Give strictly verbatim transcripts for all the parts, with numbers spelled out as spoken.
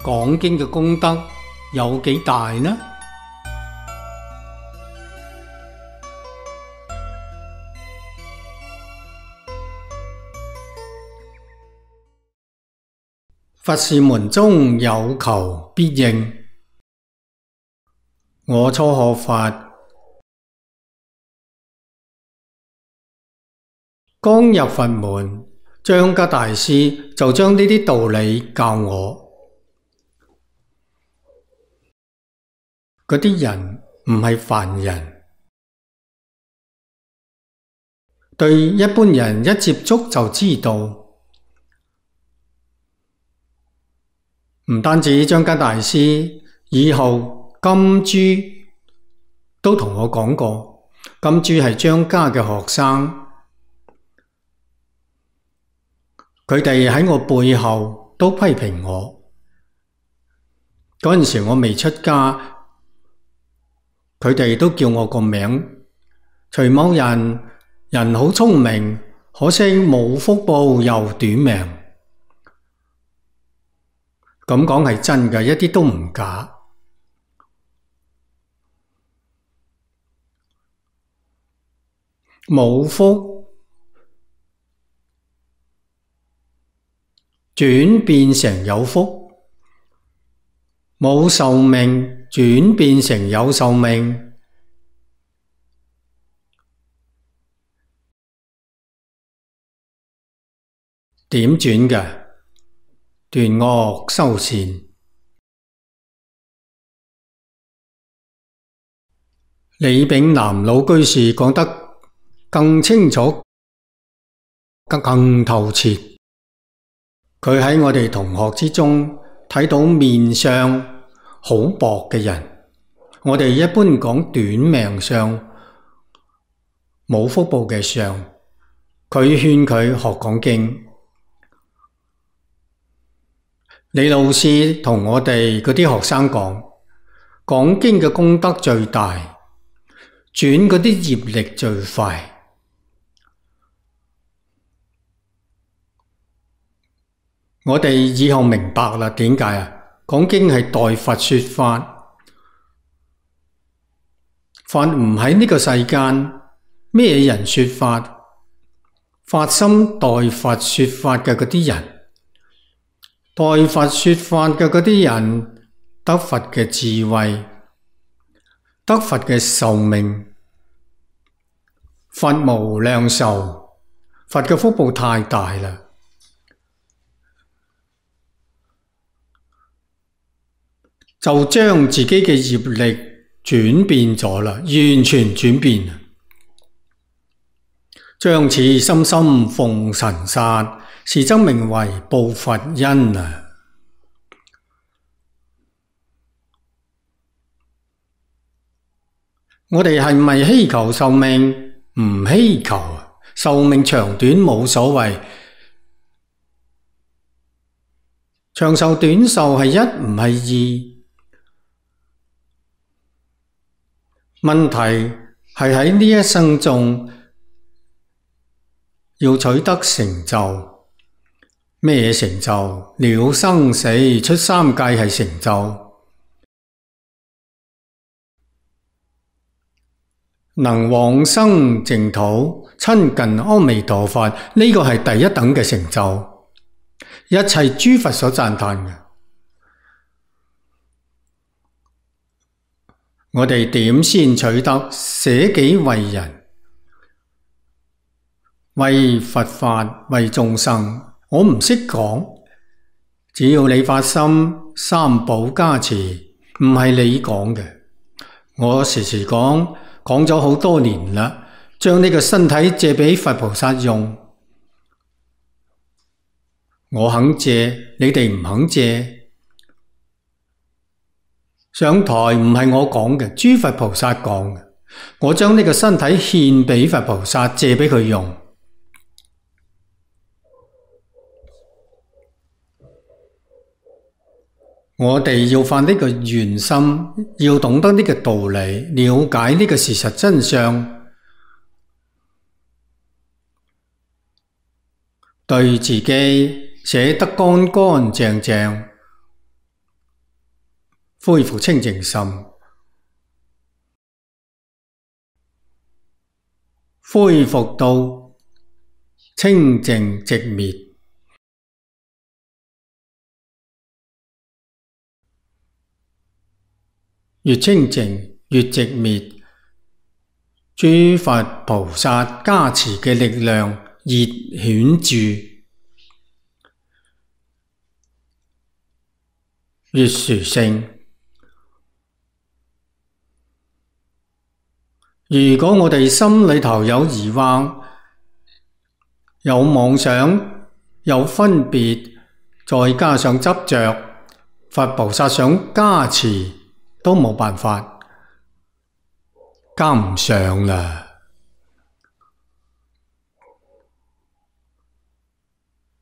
講經嘅功德有幾大呢？佛事門中有求必應。我初學佛，剛入佛門，張家大師就將呢啲道理教我。嗰啲人唔係凡人，對一般人一接觸就知道。唔單止張家大師，以後金珠都同我講過，金珠係張家嘅學生，佢哋喺我背後都批評我。嗰陣時我未出家，佢哋都叫我個名，徐某人，人好聰明，可惜冇福報又短命。咁講係真嘅，一啲都唔假。冇福轉變成有福，冇壽命轉變成有壽命，點轉嘅？斷惡修善。李炳南老居士講得更清楚、更更透徹。佢喺我哋同學之中睇到面相好薄嘅人，我哋一般講短命相、冇福報嘅相。佢勸佢學講經。李老師同我哋嗰啲學生講，講經嘅功德最大，轉嗰啲業力最快。我哋以後明白啦，點解啊？講經係代佛說法，佛唔喺呢個世間，咩人說法？發心代佛說法嘅嗰啲人。代佛說法嘅嗰啲人，得佛嘅智慧，得佛嘅壽命，佛無量壽，佛嘅福報太大啦，就將自己嘅業力轉變咗啦，完全轉變，將此心心奉塵剎，是則名為報佛恩啊！我哋係咪希求壽命？唔希求，壽命長短冇所謂。長壽短壽係一唔係二？問題係喺呢一生中要取得成就。咩成就？了生死出三界係成就，能往生淨土親近阿彌陀佛，呢、這個係第一等嘅成就，一切諸佛所讚歎嘅。我哋點先取得捨己為人，為佛法，為眾生？我唔識講，只要你發心，三寶加持，唔係你講嘅。我時時講，講咗好多年啦，將呢個身體借俾佛菩薩用。我肯借，你哋唔肯借。上台唔係我講嘅，諸佛菩薩講嘅。我將呢個身體獻俾佛菩薩，借俾佢用。我哋要發呢個願心，要懂得呢個道理，了解呢個事實真相，對自己寫得乾乾淨淨，恢復清淨心，恢復到清淨寂滅。越清淨越寂滅，諸佛菩薩加持嘅力量越顯著，越殊勝。如果我哋心裏頭有疑惑、有妄想、有分別，再加上執着，佛菩薩想加持都冇辦法，加唔上啦。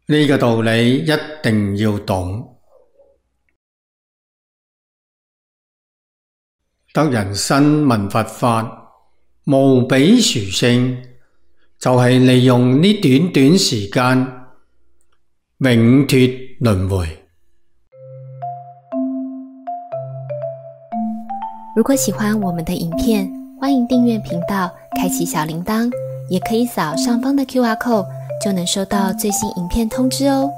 呢個道理一定要懂。得人身聞佛法，無比殊勝，就係利用呢短短時間，永脫輪迴。如果喜歡我們的影片，歡迎訂閱頻道，開啟小鈴鐺，也可以掃上方的 Q R code，就能收到最新影片通知哦。